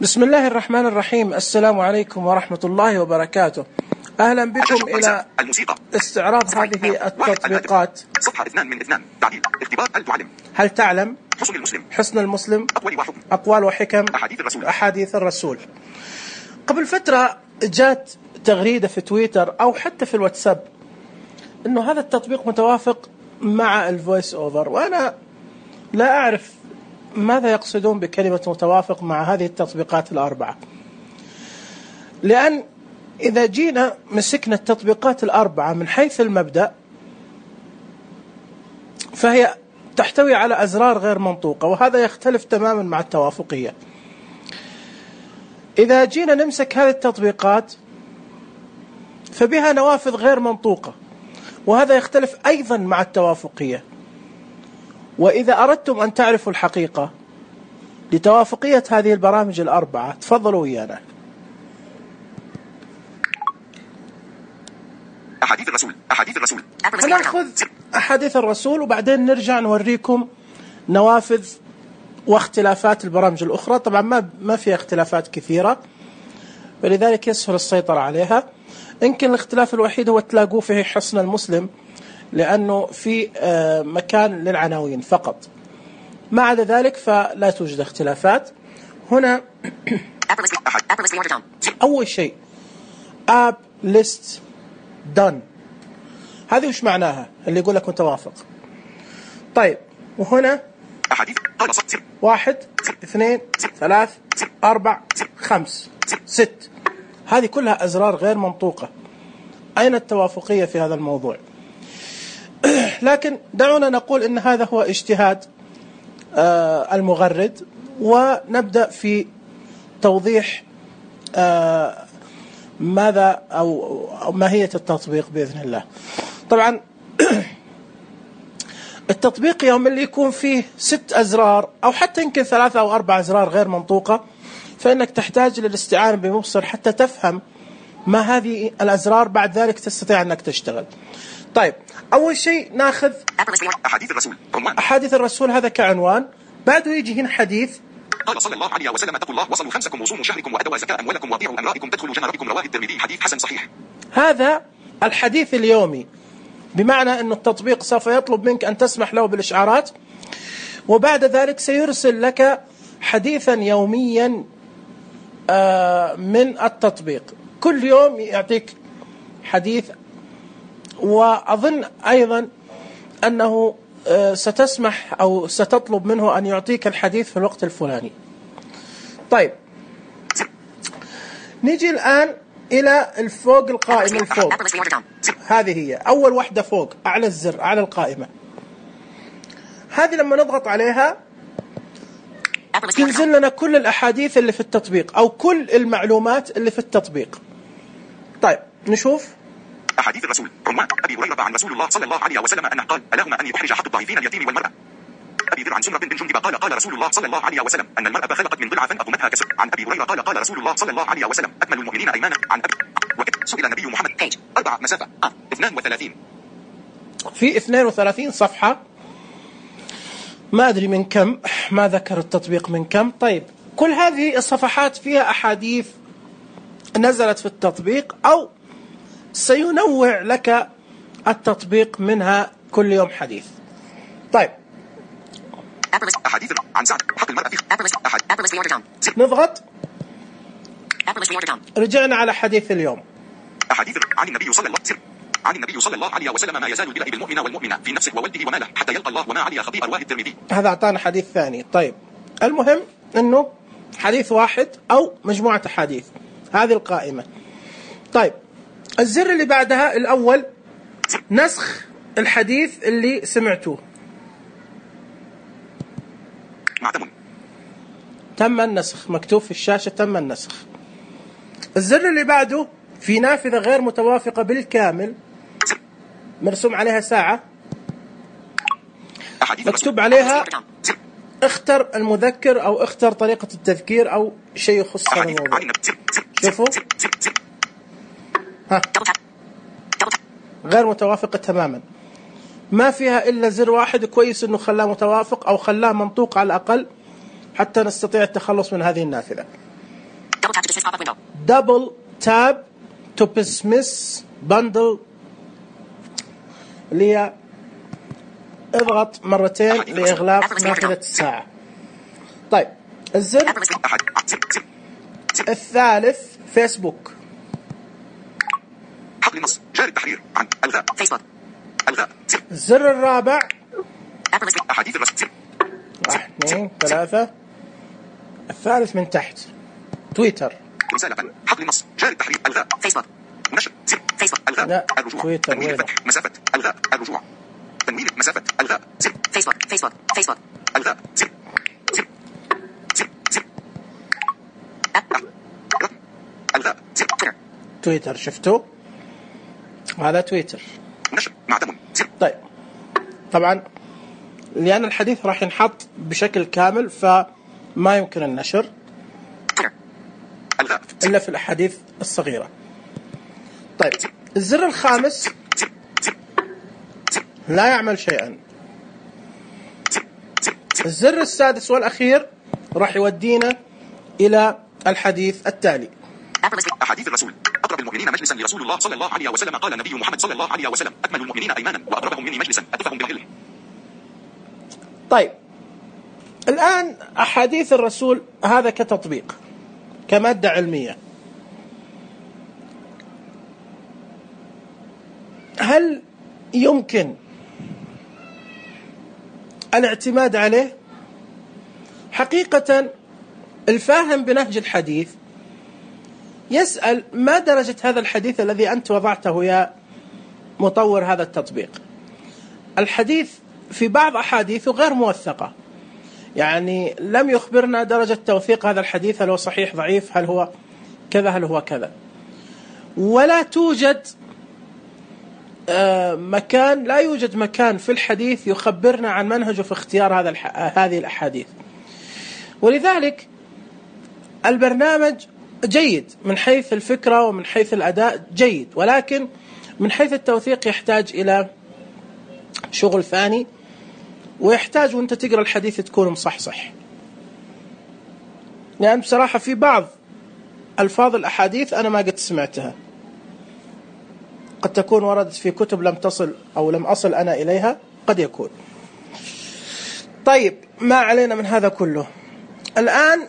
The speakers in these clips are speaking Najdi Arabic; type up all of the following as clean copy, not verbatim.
بسم الله الرحمن الرحيم. السلام عليكم ورحمة الله وبركاته. أهلا بكم إلى استعراض هذه التطبيقات. صفحة 2 من 2. تعديل اختبار هل تعلم حسن المسلم أقوال وحكم أحاديث الرسول. قبل فترة جات تغريدة في تويتر أو حتى في الواتساب إنه هذا التطبيق متوافق مع الفويس أوفر، وأنا لا أعرف ماذا يقصدون بكلمة متوافق مع هذه التطبيقات الأربعة، لأن إذا جينا مسكنا التطبيقات الأربعة من حيث المبدأ فهي تحتوي على أزرار غير منطوقة، وهذا يختلف تماما مع التوافقية. إذا جينا نمسك هذه التطبيقات فبها نوافذ غير منطوقة، وهذا يختلف أيضا مع التوافقية. وإذا أردتم أن تعرفوا الحقيقة لتوافقية هذه البرامج الأربعة تفضلوا ويانا. أحاديث الرسول نأخذ أحاديث الرسول وبعدين نرجع نوريكم نوافذ واختلافات البرامج الأخرى. طبعا ما في اختلافات كثيرة، فلذلك يسهل السيطرة عليها. يمكن الاختلاف الوحيد هو تلاقوه في حسن المسلم، لأنه في مكان للعناوين فقط، ما عدا ذلك فلا توجد اختلافات. هنا أول شيء App List Done، هذه وش معناها اللي يقول لك متوافق؟ طيب، وهنا 1 2 3 4 5 6، هذه كلها أزرار غير منطوقة. أين التوافقية في هذا الموضوع؟ لكن دعونا نقول إن هذا هو اجتهاد المغرد، ونبدأ في توضيح ماذا أو ماهية التطبيق بإذن الله. طبعا التطبيق يوم اللي يكون فيه 6 أزرار أو حتى يمكن 3 أو 4 أزرار غير منطوقة، فإنك تحتاج للاستعانة بمبصر حتى تفهم ما هذه الأزرار، بعد ذلك تستطيع أنك تشتغل. طيب، أول شيء ناخذ أحاديث الرسول، هذا كعنوان. بعده يجي هنا حديث قال صلى الله عليه وسلم: اتقوا الله وصلوا خمسكم وصوموا شهركم وأدوا زكاة أموالكم وأطيعوا أمرائكم تدخلوا جنة ربكم، رواه الترمذي، حديث حسن صحيح. هذا الحديث اليومي، بمعنى أن التطبيق سوف يطلب منك أن تسمح له بالإشعارات، وبعد ذلك سيرسل لك حديثا يوميا من التطبيق. كل يوم يعطيك حديث، وأظن أيضا أنه ستسمح أو ستطلب منه أن يعطيك الحديث في الوقت الفلاني. طيب، نيجي الآن إلى الفوق القائمة الفوق، هذه هي أول واحدة فوق أعلى الزر أعلى القائمة. هذه لما نضغط عليها تنزل لنا كل الأحاديث اللي في التطبيق أو كل المعلومات اللي في التطبيق. طيب، نشوف أحاديث الرسول. عنوان: أبي هريرة عن رسول الله صلى الله عليه وسلم أنه قال: ألاهما أن يحرج حق الضعيفين اليتيم والمرأة. أبي ذر عن سمرة بن جندب قال: قال رسول الله صلى الله عليه وسلم أن المرأة خلقت من ضلع فأضمتها كسر. عن أبي هريرة قال: قال رسول الله صلى الله عليه وسلم: أكمل المؤمنين إيمانا. عن أبي سئل النبي محمد 4 مسافة 32 في 32 صفحة، ما أدري من كم، ما ذكر التطبيق من كم. طيب، كل هذه الصفحات فيها أحاديث نزلت في التطبيق أو سينوع لك التطبيق منها كل يوم حديث. طيب، أحاديث عن سعد حق المرأة في نضغط، رجعنا على حديث اليوم. أحاديث عن النبي صلى الله عليه وسلم: ما يزال البلاء بالمؤمن والمؤمنة في نفسه وولده وماله حتى يلقى الله وما عليه خطيئة، رواه الترمذي. هذا أعطانا حديث ثاني. طيب، المهم أنه حديث واحد أو مجموعة أحاديث، هذه القائمة. طيب، الزر اللي بعدها الأول نسخ الحديث اللي سمعتوه. تم النسخ، مكتوب في الشاشة تم النسخ. الزر اللي بعده في نافذة غير متوافقة بالكامل، مرسوم عليها ساعة، مكتوب عليها اختر المذكر أو اختر طريقة التذكير أو شيء يخص هذا الموضوع. شوفوا، غير متوافقة تماما، ما فيها إلا زر واحد. كويس إنه خلاه متوافق أو خلاه منطوق على الأقل حتى نستطيع التخلص من هذه النافذة. double tab to dismiss bundle اللي هي اضغط مرتين لإغلاق نافذة الساعة. طيب الزر الثالث فيسبوك. حقل النص جاري التحرير عن الغاء فيسبوك الغاء. الزر الرابع أحاديث الرسول 1 2 3 الثالث من تحت تويتر. رسالة حقل النص جاري التحرير الغاء فيسبوك نشر زر فيسبوك الغاء الرجوع تويتر تنوين الفتح مسافة الغاء الرجوع تنوين مسافة الغاء زر فيسبوك الغاء زر الغاء زر تويتر. شفتوا هذا تويتر نشر معتم زر. طيب طبعا لأن الحديث راح ينحط بشكل كامل فما يمكن النشر إلا في الأحاديث الصغيرة. طيب الزر الخامس لا يعمل شيئا. الزر السادس والأخير راح يودينا إلى الحديث التالي. أحاديث الرسول. أقرب المؤمنين مجلسا لرسول الله صلى الله عليه وسلم قال النبي محمد صلى الله عليه وسلم أكمل المؤمنين إيمانا وأقربهم مني مجلسا أتفهم بالعلم. طيب الآن أحاديث الرسول هذا كتطبيق كمادة علمية، هل يمكن الاعتماد عليه؟ حقيقة الفاهم بنهج الحديث يسأل ما درجة هذا الحديث الذي أنت وضعته يا مطور هذا التطبيق. الحديث في بعض أحاديثه غير موثقة، يعني لم يخبرنا درجة توثيق هذا الحديث، هل هو صحيح ضعيف، هل هو كذا هل هو كذا، ولا توجد لا يوجد مكان في الحديث يخبرنا عن منهجه في اختيار هذه الأحاديث. ولذلك البرنامج جيد من حيث الفكرة ومن حيث الأداء جيد، ولكن من حيث التوثيق يحتاج إلى شغل ثاني، ويحتاج وانت تقرأ الحديث تكون مصحصح، لأن بصراحة في بعض ألفاظ الأحاديث أنا ما قد سمعتها، قد تكون وردت في كتب لم تصل أو لم أصل أنا إليها، قد يكون. طيب ما علينا من هذا كله. الآن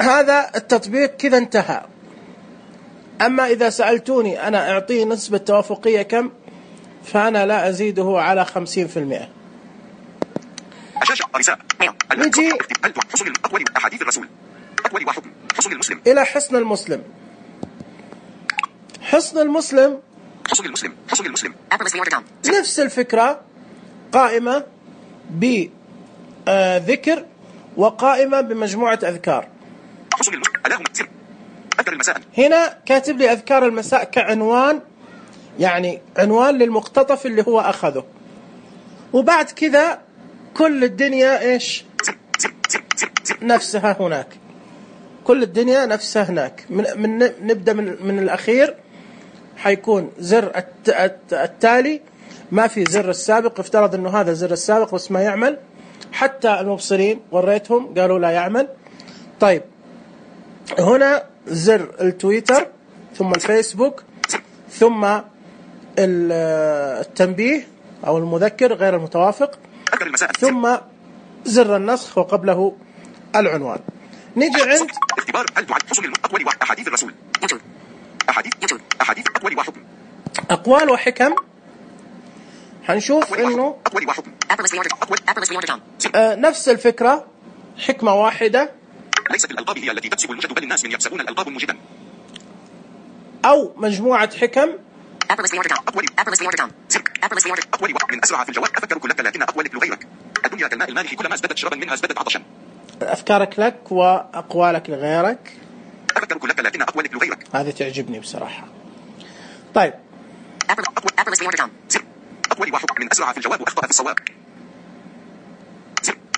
هذا التطبيق كذا انتهى. أما إذا سألتوني أنا أعطيه نسبة توافقية كم، فأنا لا أزيده على 50%. نجي أحاديث الرسول أقوال وحكم حصن المسلم إلى حصن المسلم. حصن المسلم نفس الفكرة، قائمة بذكر وقائمة بمجموعة أذكار. هنا كاتب لي أذكار المساء كعنوان، يعني عنوان للمقتطف اللي هو أخذه، وبعد كذا كل الدنيا إيش نفسها هناك، كل الدنيا نفسها هناك. نبدأ من الأخير، حيكون زر التالي، ما في زر السابق، افترض انه هذا زر السابق بس ما يعمل، حتى المبصرين وريتهم قالوا لا يعمل. طيب هنا زر التويتر، ثم الفيسبوك، ثم التنبيه او المذكر غير المتوافق، ثم زر النسخ وقبله العنوان. نيجي عند اختبار هل تعد حصن الأقوال وأحاديث الرسول. أحاديث أقوال وحكم. أقوال وحكم. حنشوف إنه أقوال وحكم. نفس الفكرة، حكمة واحدة. ليست الألقاب هي التي تكسب المجد، بل الناس من يكسبون الألقاب مجدا. أو مجموعة حكم. أقوال من أسرع في الجواب. أفكرك لك لكن أقوالك لغيرك. الدنيا كالماء المالح، كلما ازدادت شربا منها ازدادت عطشا. أفكارك لك وأقوالك لغيرك. أفكرك لك لكن أقوالك لغيرك. هذه تعجبني بصراحة. طيب أقوال وحكم من أسرع في الجواب وأخطأ في الصواب.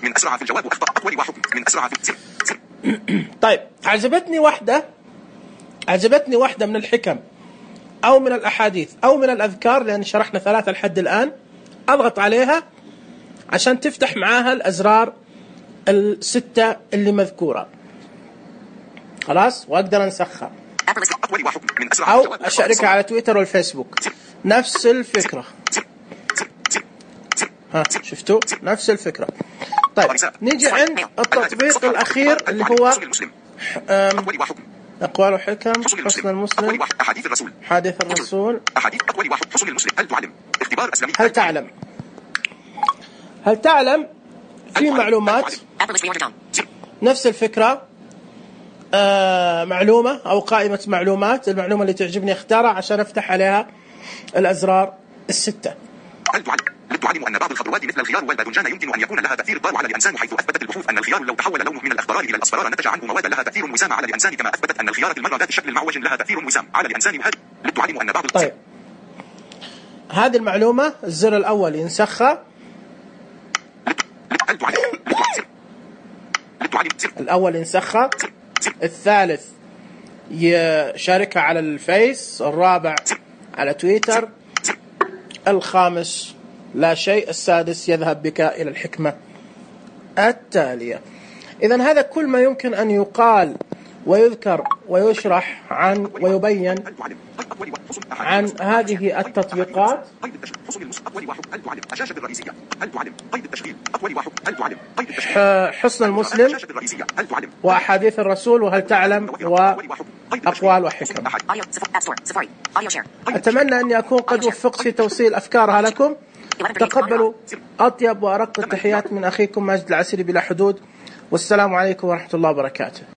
من أسرع في الجواب وأخطأ. أقوال وحكم من أسرع في طيب عجبتني واحدة من الحكم أو من الأحاديث أو من الأذكار، لأن شرحنا 3 لحد الآن. أضغط عليها عشان تفتح معاها الأزرار 6 اللي مذكورة. خلاص، وأقدر أنسخها أقوى وحكم من أسرع أو أشاركها على تويتر والفيسبوك. نفس الفكرة. ها شفتوا؟ نفس الفكرة. طيب نيجي عند التطبيق الأخير اللي هو أقوال وحكم، حسن المسلم، أحاديث الرسول، أحاديث أقوال وحكم، حسن المسلم، هل تعلم، اختبار أسلامي، هل تعلم في معلومات نفس الفكرة. معلومة أو قائمة معلومات، المعلومة اللي تعجبني اختارها عشان أفتح عليها الأزرار الستة. هل تعلم أن بعض الخضروات مثل الخيار والباذنجان يمكن أن يكون لها تأثير ضار على الإنسان، حيث أثبتت البحوث أن الخيار لو تحول لونه من الأخضرار إلى الأصفرار نتج عنه مواد لها تأثير وسام على الإنسان، كما أثبتت أن الخيار المرة ذات الشكل المعوج لها تأثير وسام على الإنسان. وهل تعلم أن بعض طيب هذه المعلومة الزر الأول ينسخها، الأول ينسخها، الثالث يشاركها على الفيس، الرابع على تويتر، الخامس لا شيء، السادس يذهب بك إلى الحكمة التالية. إذن هذا كل ما يمكن أن يقال ويذكر ويشرح عن ويبين عن هذه التطبيقات. حسن المسلم وأحاديث الرسول وهل تعلم وأقوال وحكم. أتمنى أني أكون قد وفقت في توصيل أفكارها لكم. تقبلوا أطيب وأرق التحيات من أخيكم ماجد العسيري بلا حدود، والسلام عليكم ورحمة الله وبركاته.